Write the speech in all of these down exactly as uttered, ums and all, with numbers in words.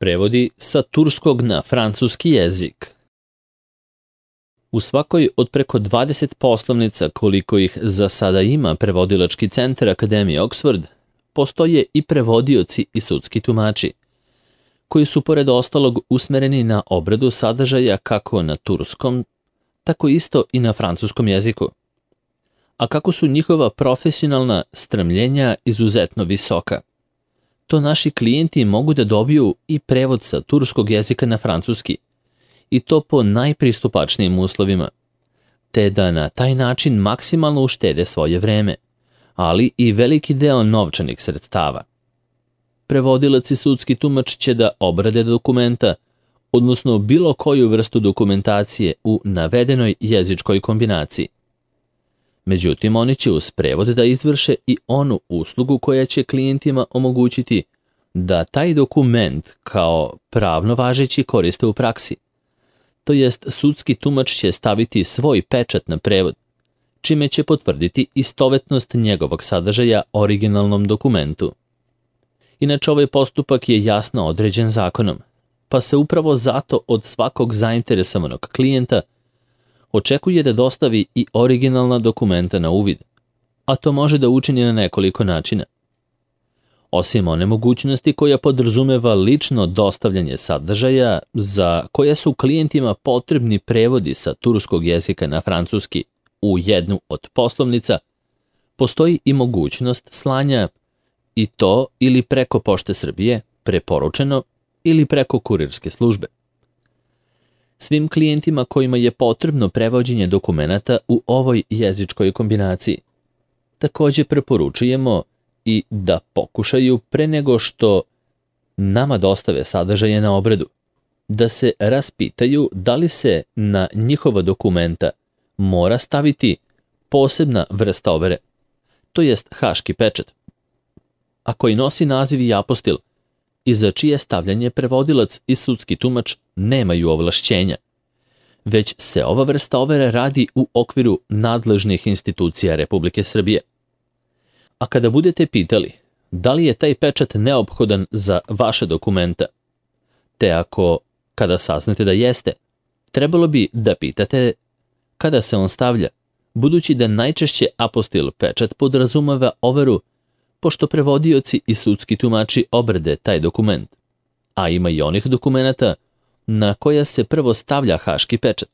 Prevodi sa turskog na francuski jezik. U svakoj od preko dvadeset poslovnica koliko ih za sada ima prevodilački centar Akademije Oxford, postoje i prevodioci i sudski tumači, koji su pored ostalog usmereni na obradu sadržaja kako na turskom, tako isto i na francuskom jeziku. A kako su njihova profesionalna stremljenja izuzetno visoka, to naši klijenti mogu da dobiju i prevod sa turskog jezika na francuski, i to po najpristupačnijim uslovima, te da na taj način maksimalno uštede svoje vreme, ali i veliki deo novčanih sredstava. Prevodilac i sudski tumač će da obrade dokumenta, odnosno bilo koju vrstu dokumentacije u navedenoj jezičkoj kombinaciji. Međutim, oni će uz prevod da izvrše i onu uslugu koja će klijentima omogućiti da taj dokument kao pravno važeći koriste u praksi. To jest, sudski tumač će staviti svoj pečat na prevod, čime će potvrditi istovetnost njegovog sadržaja originalnom dokumentu. Inače, ovaj postupak je jasno određen zakonom, pa se upravo zato od svakog zainteresovanog klijenta očekuje da dostavi i originalna dokumenta na uvid, a to može da učini na nekoliko načina. Osim one mogućnosti koja podrazumeva lično dostavljanje sadržaja za koje su klijentima potrebni prevodi sa turskog jezika na francuski u jednu od poslovnica, postoji i mogućnost slanja, i to ili preko Pošte Srbije, preporučeno, ili preko kurirske službe. Svim klijentima kojima je potrebno prevođenje dokumenata u ovoj jezičkoj kombinaciji također preporučujemo i da pokušaju pre nego što nama dostave sadržaje na obradu, da se raspitaju da li se na njihova dokumenta mora staviti posebna vrsta overe, to jest haški pečat, a koji nosi naziv i apostil i za čije stavljanje prevodilac i sudski tumač nemaju ovlašćenja, već se ova vrsta overe radi u okviru nadležnih institucija Republike Srbije. A kada budete pitali da li je taj pečat neophodan za vaše dokumenta, te ako, kada saznate da jeste, trebalo bi da pitate kada se on stavlja, budući da najčešće apostil pečat podrazumeva overu, pošto prevodioci i sudski tumači obrade taj dokument, a ima i onih dokumenata na koja se prvo stavlja haški pečat,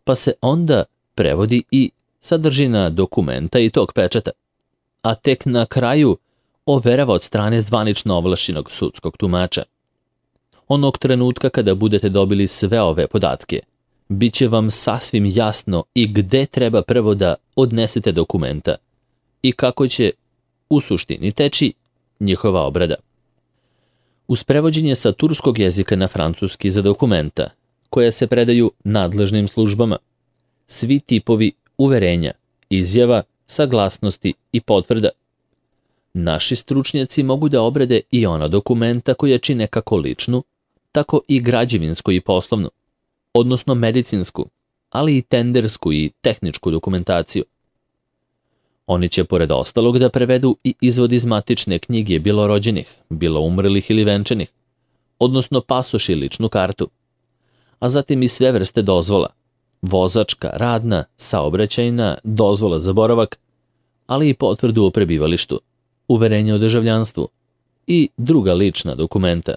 pa se onda prevodi i sadržina dokumenta i tog pečata, a tek na kraju overava od strane zvanično ovlašćenog sudskog tumača. Onog trenutka kada budete dobili sve ove podatke, bit će vam sasvim jasno i gde treba prvo da odnesete dokumenta i kako će u suštini teči njihova obrada. Uz prevođenje sa turskog jezika na francuski za dokumenta, koja se predaju nadležnim službama, svi tipovi uverenja, izjava, saglasnosti i potvrda, naši stručnjaci mogu da obrade i ona dokumenta koja čine kako ličnu, tako i građevinsku i poslovnu, odnosno medicinsku, ali i tendersku i tehničku dokumentaciju. Oni će pored ostalog da prevedu i izvod iz matične knjige bilo rođenih, bilo umrlih ili venčanih, odnosno pasoš i ličnu kartu, a zatim i sve vrste dozvola, vozačka, radna, saobraćajna, dozvola za boravak, ali i potvrdu o prebivalištu, uverenje o državljanstvu i druga lična dokumenta.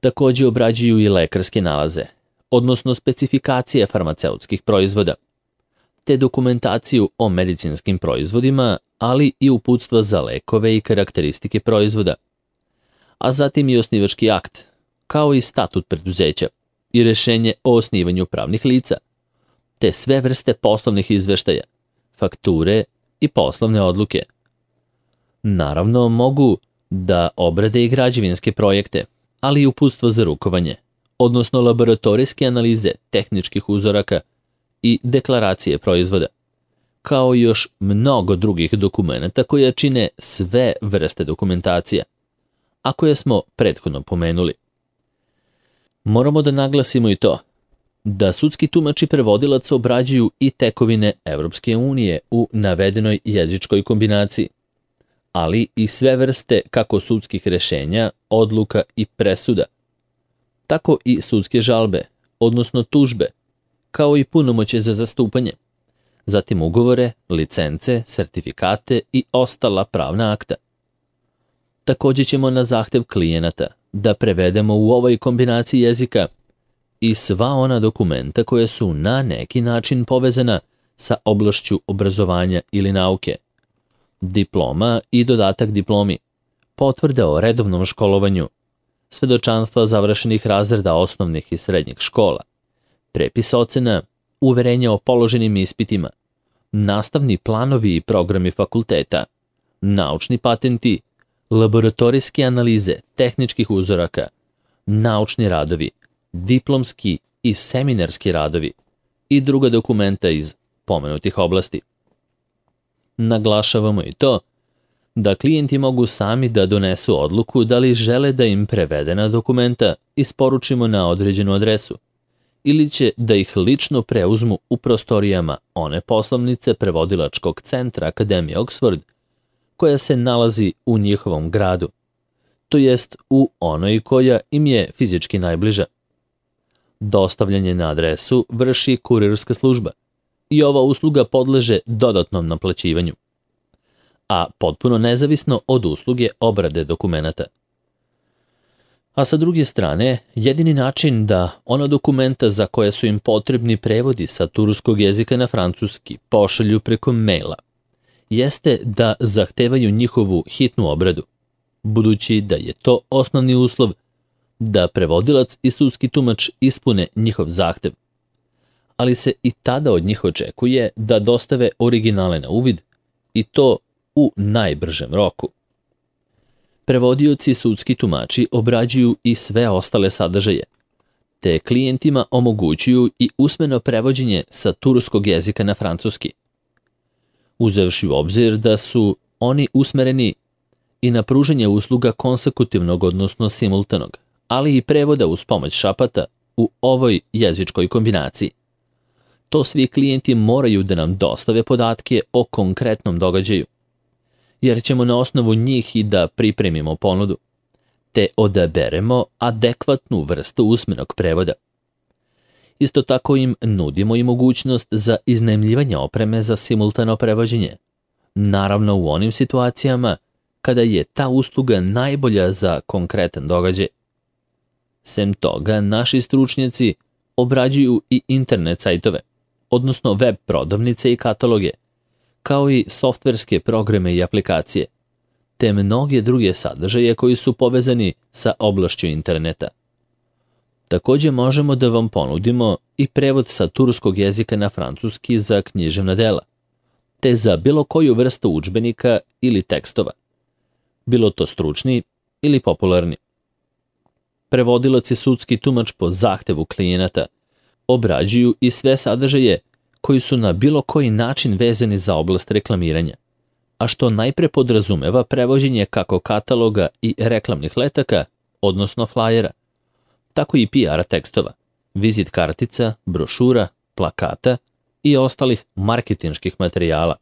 Također obrađuju i lekarske nalaze, odnosno specifikacije farmaceutskih proizvoda, te dokumentaciju o medicinskim proizvodima, ali i uputstva za lekove i karakteristike proizvoda, a zatim i osnivački akt, kao i statut preduzeća i rešenje o osnivanju pravnih lica, te sve vrste poslovnih izveštaja, fakture i poslovne odluke. Naravno, mogu da obrade i građevinske projekte, ali i uputstva za rukovanje, odnosno laboratorijske analize tehničkih uzoraka i deklaracije proizvoda, kao i još mnogo drugih dokumenata koje čine sve vrste dokumentacija, a koje smo prethodno pomenuli. Moramo da naglasimo i to da sudski tumač i prevodilac obrađuju i tekovine Evropske unije u navedenoj jezičkoj kombinaciji, ali i sve vrste kako sudskih rešenja, odluka i presuda, tako i sudske žalbe, odnosno tužbe, kao i punomoćje za zastupanje, zatim ugovore, licence, sertifikate i ostala pravna akta. Također ćemo na zahtev klijenata da prevedemo u ovoj kombinaciji jezika i sva ona dokumenta koje su na neki način povezana sa oblašću obrazovanja ili nauke, diploma i dodatak diplomi, potvrde o redovnom školovanju, svedočanstva završenih razreda osnovnih i srednjih škola, prepis ocena, uverenja o položenim ispitima, nastavni planovi i programi fakulteta, naučni patenti, laboratorijske analize tehničkih uzoraka, naučni radovi, diplomski i seminarski radovi i druga dokumenta iz pomenutih oblasti. Naglašavamo i to da klijenti mogu sami da donesu odluku da li žele da im prevedena dokumenta isporučimo na određenu adresu ili će da ih lično preuzmu u prostorijama one poslovnice prevodilačkog centra Akademije Oxford koja se nalazi u njihovom gradu, to jest u onoj koja im je fizički najbliža. Dostavljanje na adresu vrši kurirska služba i ova usluga podleže dodatnom naplaćivanju, a potpuno nezavisno od usluge obrade dokumenata. A sa druge strane, jedini način da ona dokumenta za koje su im potrebni prevodi sa turskog jezika na francuski pošalju preko maila, jeste da zahtevaju njihovu hitnu obradu, budući da je to osnovni uslov da prevodilac i sudski tumač ispune njihov zahtev, ali se i tada od njih očekuje da dostave originale na uvid i to u najbržem roku. Prevodioci i sudski tumači obrađuju i sve ostale sadržaje, te klijentima omogućuju i usmeno prevođenje sa turskog jezika na francuski. Uzevši u obzir da su oni usmereni i na pružanje usluga konsekutivnog, odnosno simultanog, ali i prevoda uz pomoć šapata u ovoj jezičkoj kombinaciji. To svi klijenti moraju da nam dostave podatke o konkretnom događaju, jer ćemo na osnovu njih i da pripremimo ponudu, te odaberemo adekvatnu vrstu usmenog prevoda. Isto tako im nudimo i mogućnost za iznajmljivanje opreme za simultano prevođenje, naravno u onim situacijama kada je ta usluga najbolja za konkretan događaj. Sem toga, naši stručnjaci obrađuju i internet sajtove, odnosno web prodavnice i kataloge, kao i softverske programe i aplikacije, te mnoge druge sadržaje koji su povezani sa oblašću interneta. Također možemo da vam ponudimo i prevod sa turskog jezika na francuski za književna dela, te za bilo koju vrstu udžbenika ili tekstova, bilo to stručni ili popularni. Prevodilac i sudski tumač po zahtevu klijenata obrađuju i sve sadržaje koji su na bilo koji način vezani za oblast reklamiranja, a što najpre podrazumeva prevođenje kako kataloga i reklamnih letaka, odnosno flajera, tako i P R tekstova, vizit kartica, brošura, plakata i ostalih marketinških materijala.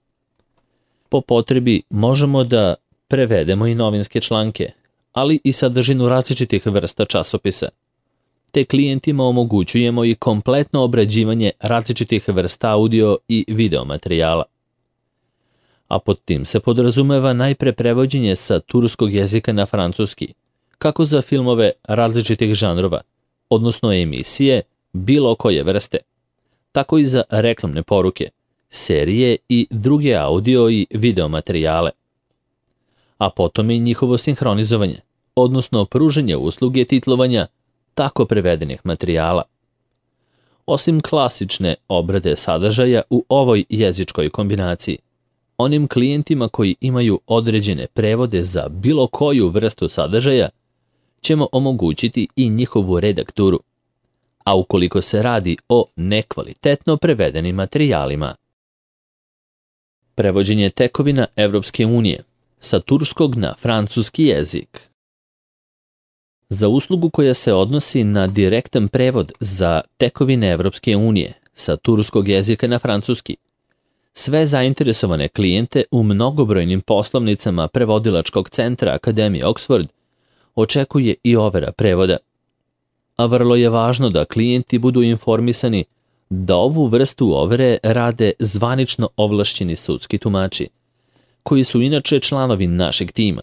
Po potrebi možemo da prevedemo i novinske članke, ali i sadržinu različitih vrsta časopisa, te klijentima omogućujemo i kompletno obrađivanje različitih vrsta audio i video materijala. A pod tim se podrazumeva najpre prevođenje sa turskog jezika na francuski, kako za filmove različitih žanrova, odnosno emisije bilo koje vrste, tako i za reklamne poruke, serije i druge audio i video materijale. A potom i njihovo sinhronizovanje, odnosno pružanje usluge titlovanja tako prevedenih materijala. Osim klasične obrade sadržaja u ovoj jezičkoj kombinaciji, onim klijentima koji imaju određene prevode za bilo koju vrstu sadržaja ćemo omogućiti i njihovu redakturu, a ukoliko se radi o nekvalitetno prevedenim materijalima. Prevođenje tekovina Evropske unije sa turskog na francuski jezik. Za uslugu koja se odnosi na direktan prevod za tekovine Evropske unije sa turskog jezika na francuski, Sve zainteresovane klijente u mnogobrojnim poslovnicama prevodilačkog centra Akademije Oxford očekuje i overa prevoda. A vrlo je važno da klijenti budu informisani da ovu vrstu overe rade zvanično ovlašćeni sudski tumači, koji su inače članovi našeg tima,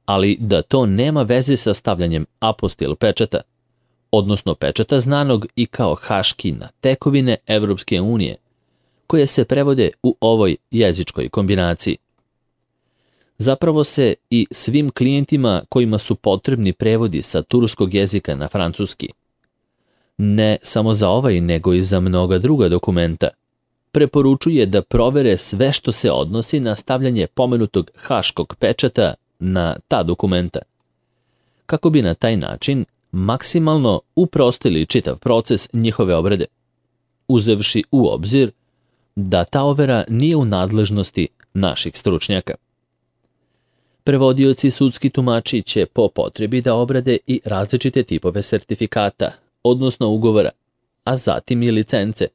ali da to nema veze sa stavljanjem apostil pečata, odnosno pečata znanog i kao haški na tekovine Evropske unije, koje se prevode u ovoj jezičkoj kombinaciji. Zapravo se i svim klijentima kojima su potrebni prevodi sa turskog jezika na francuski, ne samo za ovaj nego i za mnoga druga dokumenta, preporučuje da provere sve što se odnosi na stavljanje pomenutog haškog pečata na ta dokumenta, kako bi na taj način maksimalno uprostili čitav proces njihove obrade, uzevši u obzir da ta overa nije u nadležnosti naših stručnjaka. Prevodioci sudski tumači će po potrebi da obrade i različite tipove sertifikata, odnosno ugovora, a zatim i licence,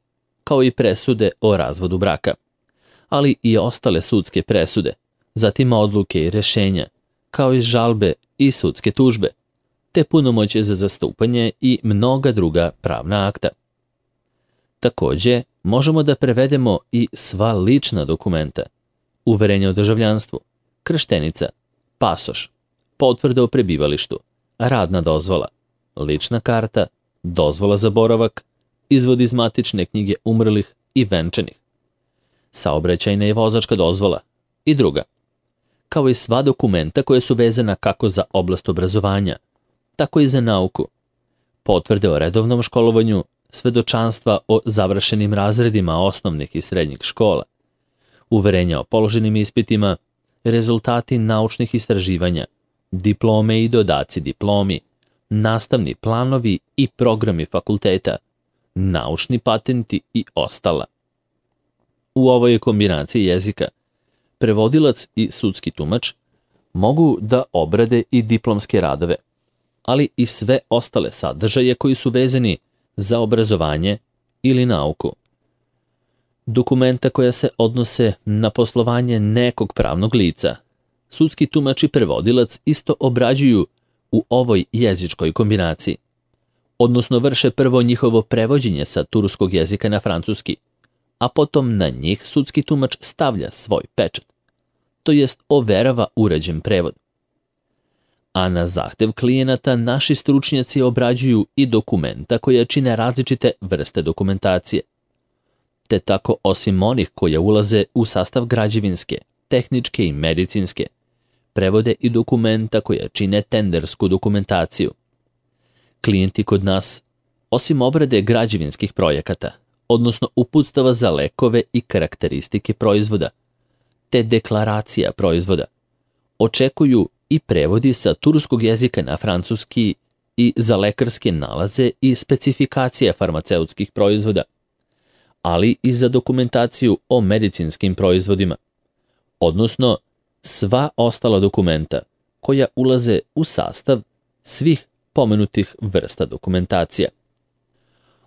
kao i presude o razvodu braka, ali i ostale sudske presude, zatim odluke i rešenja, kao i žalbe i sudske tužbe, te punomoćje za zastupanje i mnoga druga pravna akta. Takođe, možemo da prevedemo i sva lična dokumenta, uverenje o državljanstvu, krštenica, pasoš, potvrda o prebivalištu, radna dozvola, lična karta, dozvola za boravak, izvod iz matične knjige umrlih i venčanih, saobraćajna i vozačka dozvola i druga, kao i sva dokumenta koje su vezana kako za oblast obrazovanja, tako i za nauku, potvrde o redovnom školovanju, svedočanstva o završenim razredima osnovnih i srednjih škola, uverenja o položenim ispitima, rezultati naučnih istraživanja, diplome i dodaci diplomi, nastavni planovi i programi fakulteta, naučni patenti i ostala. U ovoj kombinaciji jezika prevodilac i sudski tumač mogu da obrade i diplomske radove, ali i sve ostale sadržaje koji su vezani za obrazovanje ili nauku. Dokumenta koja se odnose na poslovanje nekog pravnog lica, sudski tumač i prevodilac isto obrađuju u ovoj jezičkoj kombinaciji, odnosno vrše prvo njihovo prevođenje sa turskog jezika na francuski, a potom na njih sudski tumač stavlja svoj pečat, to jest overava urađen prevod. A na zahtev klijenata naši stručnjaci obrađuju i dokumenta koja čine različite vrste dokumentacije, te tako osim onih koje ulaze u sastav građevinske, tehničke i medicinske, prevode i dokumenta koja čine tendersku dokumentaciju. Klijenti kod nas, osim obrade građevinskih projekata, odnosno uputstava za lekove i karakteristike proizvoda, te deklaracija proizvoda, očekuju i prevodi sa turskog jezika na francuski i za lekarske nalaze i specifikacije farmaceutskih proizvoda, ali i za dokumentaciju o medicinskim proizvodima, odnosno sva ostala dokumenta koja ulaze u sastav svih pomenutih vrsta dokumentacija.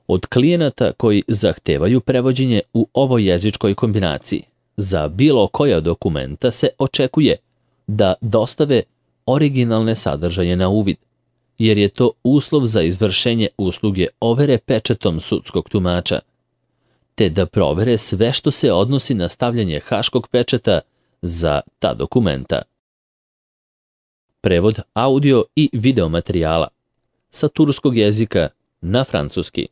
Od klijenata koji zahtevaju prevođenje u ovoj jezičkoj kombinaciji, za bilo koja dokumenta se očekuje da dostave originalne sadržaje na uvid, jer je to uslov za izvršenje usluge overe pečatom sudskog tumača, te da provere sve što se odnosi na stavljanje haškog pečata za ta dokumenta. Prevod audio i video materijala sa turskog jezika na francuski.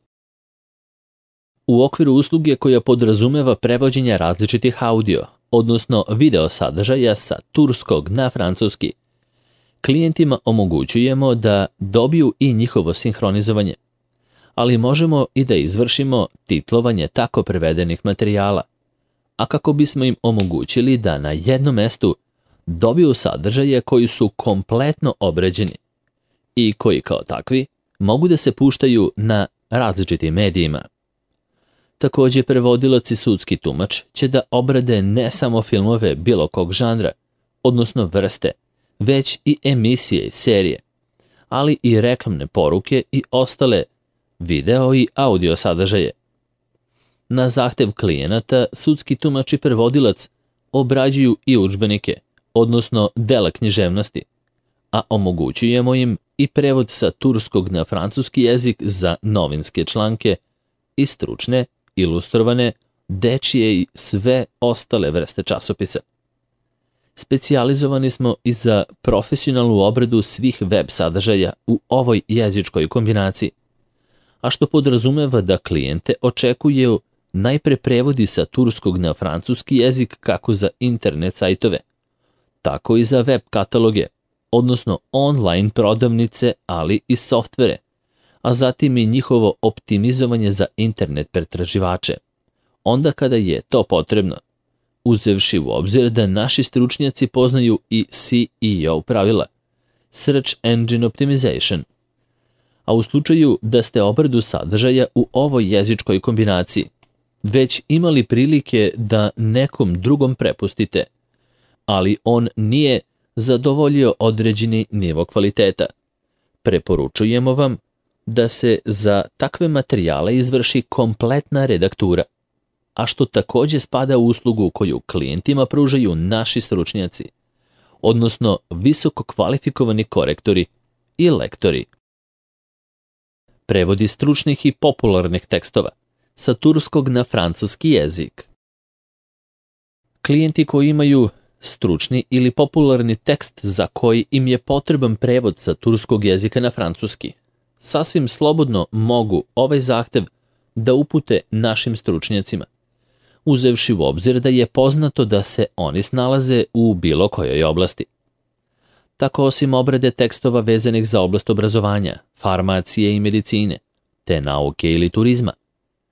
U okviru usluge koja podrazumeva prevođenje različitih audio, odnosno video sadržaja sa turskog na francuski, klijentima omogućujemo da dobiju i njihovo sinhronizovanje, ali možemo i da izvršimo titlovanje tako prevedenih materijala, a kako bismo im omogućili da na jednom mestu dobiju sadržaje koji su kompletno obrađeni i koji kao takvi mogu da se puštaju na različitim medijima. Takođe, prevodilac i sudski tumač će da obrade ne samo filmove bilo kog žanra, odnosno vrste, već i emisije i serije, ali i reklamne poruke i ostale video i audio sadržaje. Na zahtev klijenata, sudski tumač i prevodilac obrađuju i udžbenike, odnosno dela književnosti, a omogućujemo im i prevod sa turskog na francuski jezik za novinske članke i stručne, ilustrovane, dečije i sve ostale vrste časopisa. Specijalizovani smo i za profesionalnu obradu svih web sadržaja u ovoj jezičkoj kombinaciji, a što podrazumeva da klijente očekuju najpre prevodi sa turskog na francuski jezik kako za internet sajtove, tako i za web kataloge, odnosno online prodavnice, ali i softvere, a zatim i njihovo optimizovanje za internet pretraživače, onda kada je to potrebno, uzevši u obzir da naši stručnjaci poznaju i S E O pravila, Search Engine Optimization, a u slučaju da ste obradu sadržaja u ovoj jezičkoj kombinaciji već imali prilike da nekom drugom prepustite, ali on nije zadovoljio određeni nivo kvaliteta, preporučujemo vam da se za takve materijale izvrši kompletna redaktura, a što takođe spada u uslugu koju klijentima pružaju naši stručnjaci, odnosno visoko kvalifikovani korektori i lektori. Prevodi stručnih i popularnih tekstova sa turskog na francuski jezik. Klijenti koji imaju stručni ili popularni tekst za koji im je potreban prevod sa turskog jezika na francuski, sasvim slobodno mogu ovaj zahtev da upute našim stručnjacima, uzevši u obzir da je poznato da se oni snalaze u bilo kojoj oblasti. Tako osim obrade tekstova vezanih za oblast obrazovanja, farmacije i medicine, te nauke ili turizma,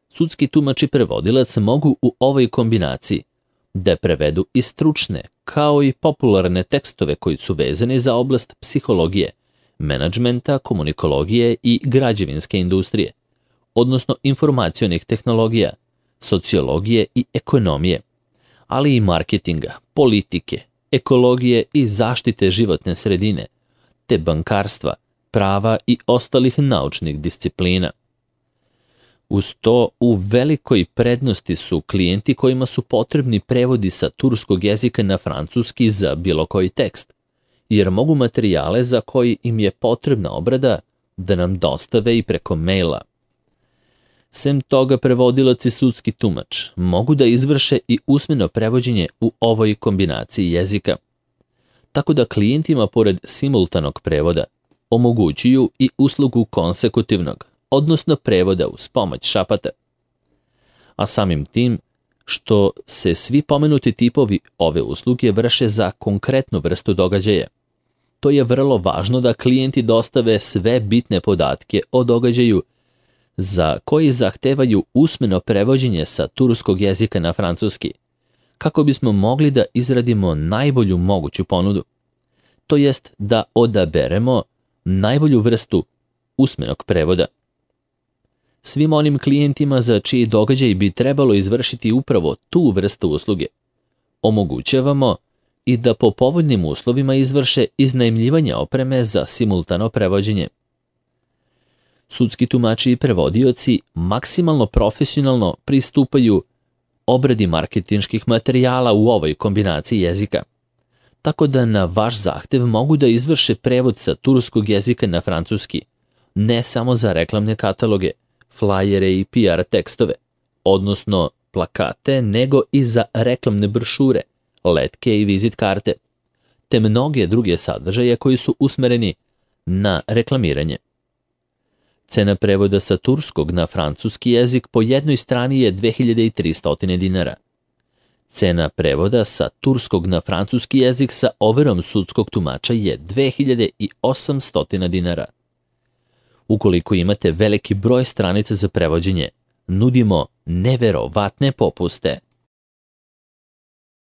sudski tumač i prevodilac mogu u ovoj kombinaciji da prevedu i stručne, kao i popularne tekstove koji su vezani za oblast psihologije, menadžmenta, komunikologije i građevinske industrije, odnosno informacionih tehnologija, sociologije i ekonomije, ali i marketinga, politike, ekologije i zaštite životne sredine, te bankarstva, prava i ostalih naučnih disciplina. Uz to, u velikoj prednosti su klijenti kojima su potrebni prevodi sa turskog jezika na francuski za bilo koji tekst, jer mogu materijale za koji im je potrebna obrada da nam dostave i preko maila. Sem toga, prevodilac i sudski tumač mogu da izvrše i usmeno prevođenje u ovoj kombinaciji jezika, tako da klijentima pored simultanog prevoda omogućuju i uslugu konsekutivnog, odnosno prevoda uz pomoć šapata. A samim tim što se svi pomenuti tipovi ove usluge vrše za konkretnu vrstu događaja, to je vrlo važno da klijenti dostave sve bitne podatke o događaju za koji zahtevaju usmeno prevođenje sa turskog jezika na francuski, kako bismo mogli da izradimo najbolju moguću ponudu, to jest da odaberemo najbolju vrstu usmenog prevoda. Svim onim klijentima za čiji događaj bi trebalo izvršiti upravo tu vrstu usluge, omogućavamo i da po povoljnim uslovima izvrše iznajmljivanje opreme za simultano prevođenje. Sudski tumači i prevodioci maksimalno profesionalno pristupaju obradi marketinških materijala u ovoj kombinaciji jezika, tako da na vaš zahtev mogu da izvrše prevod sa turskog jezika na francuski, ne samo za reklamne kataloge, flajere i P R tekstove, odnosno plakate, nego i za reklamne brošure, letke i vizit karte, te mnoge druge sadržaje koji su usmereni na reklamiranje. Cena prevoda sa turskog na francuski jezik po jednoj strani je dve hiljade tristo dinara. Cena prevoda sa turskog na francuski jezik sa overom sudskog tumača je dve hiljade osamsto dinara. Ukoliko imate veliki broj stranica za prevođenje, nudimo neverovatne popuste.